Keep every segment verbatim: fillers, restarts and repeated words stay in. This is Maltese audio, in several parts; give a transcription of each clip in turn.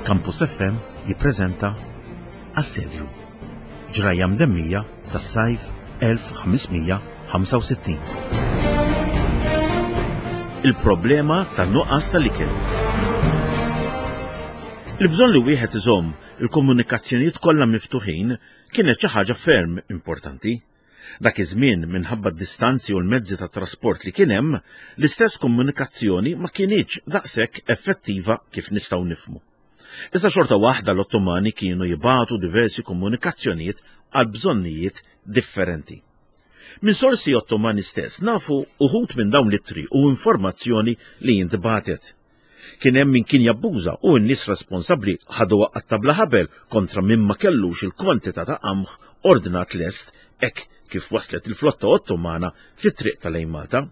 Campus F M jippreżenta Assedju. Ġrajja mdemmija tas-sajf elf ħames mija ħamsa u sittin. Il-problema ta' nuqqas tal-ikel. Il-bżonn li wieħed iżomm il-komunikazzjonijiet kollha miftuħin kienet xi ħaġa ferm importanti. Dak iż-żmien, minħabba d-distanzi u l-mezzi ta' trasport li kien hemm, l-istess komunikazzjoni ma kinitx daqshekk effettiva kif nistgħu nifhmu. Iżda xorta waħda l-Ottomani kienu jibagħtu diversi komunikazzjonijiet għal bżonnijiet differenti. Minn sorsi Ottomani stess nafu uħud minn dawn l-ittri u informazzjoni li jintbatet. Kien hemm min kien jabbuża u n-nies responsabbli ħadu qatta bla ħabel kontra min ma kellux il-kwantità ta' qamħ ordnat lest hekk kif waslet il-flotta Ottomana fit-triq tal-lejn Malta.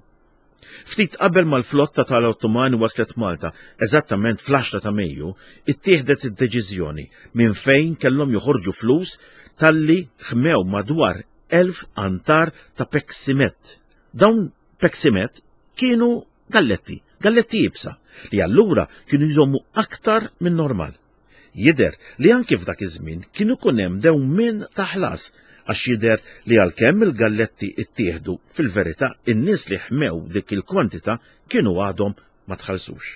Ftit qabel mal-flotta tal-Ottomani waslet Malta, eżattament fl-għaxra ta' Mejju, ittieħdet id-deċiżjoni minn fejn kellhom joħorġu flus talli ħmew madwar elf antar ta' peksimet. Dawn peksimet kienu galletti, galletti iebsa, li allura kienu jżommu aktar minn normal. Jidher li anki f'dak iż-żmien kienu ikun hemm dewmien ta' ħlas, għax jidher li għalkemm il-galletti ittieħdu, fil-verità in-nies li ħmew dik il-kwantità kienu għadhom ma tħallsux.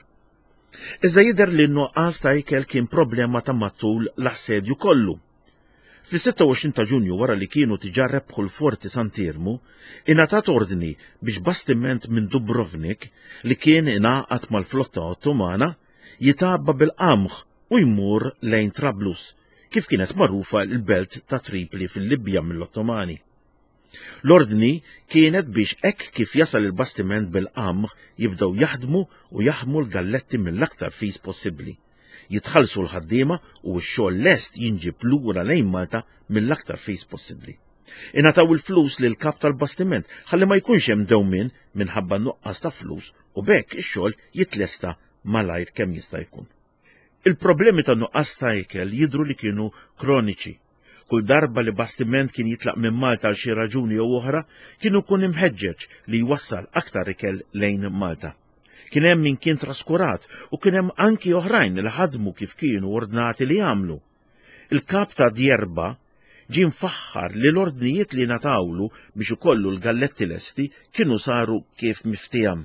Iżda jidher li n-nuqqas ta' ikel kien problema ta' matul l-assedju kollu. Fis-sitta u għoxrin ta' Ġunju, wara li kienu diġà rebħu l-Forti Sant'Iermu, ingħatat ordni biex bastiment minn Dubrovnik li kien ingħaqad mal-flotta Ottomana jitgħabba bil-qamħ u jmur lejn Trablus, kif kienet magħrufa l-belt ta' Tripli fil-Libja mill-Ottomani. L-ordni kienet biex hekk kif jasal il-bastiment bil-qamħ jibdew jaħdmu u jaħmu l-galletti mill-aktar fis possibbli. Jitħallsu l-ħaddiema u x-xogħol lest jinġib lura lejn Malta mill-aktar fis possibbli. Ingħataw il-flus lil kap tal-bastiment ħalli ma jkunx hemm dewmien minħabba nuqqas ta' flus u b'hekk ix-xogħol jitlesta malajr kemm jista' jkun. Il-problemi ta' nuqqas ta' ikel jidru li kienu kroniċi. Kull darba li bastiment kien jitlaq minn Malta għal xi raġuni jew oħra, kienu kun imħeġġeġ li jwassal aktar ikel lejn Malta. Kien hemm min kien traskurat u kien hemm anki oħrajn li ħadmu kif kienu ordnati li jagħmlu. Il-kap ta' Djerba ġie mfaħħar li l-ordnijiet li ngħatawlu biex ikollu l-galletti lesti kienu saru kif miftiehem.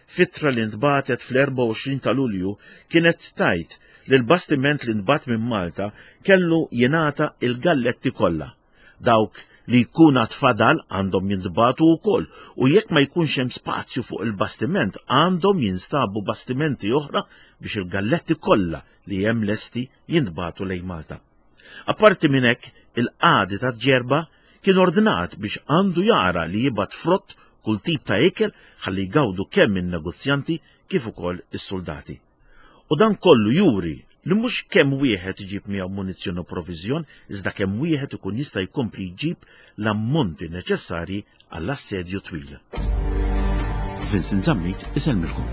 F'ittra li ntbagħtet fl-erbgħa u għoxrin ta' Lulju kienet tgħid li l-bastiment li ntbagħat minn Malta kellu jingħata il-galletti kollha. Dawk li jkun għad fadal għandhom jintbagħtu wkoll u jekk ma jkunx hemm spazju fuq il-bastiment, għandhom jinstabu bastimenti oħra biex il-galletti kollha li hemm lesti jintbagħtu lejn Malta. Apparti minn hekk, il-qadi ta' Ġerba kien ordnat biex għandu jara li jibgħat frott, kull tip ta' ikel, ħalli jgawdu kemm in-negozjanti kif ukoll is-soldati. U dan kollu juri li mhux kemm wieħed iġib miegħu munizzjon u proviżjon, iżda kemm wieħed ikun jista' jkompli jġib l-ammonti neċessarji għall-assedju twil. Vincent Zammit isellmilkom.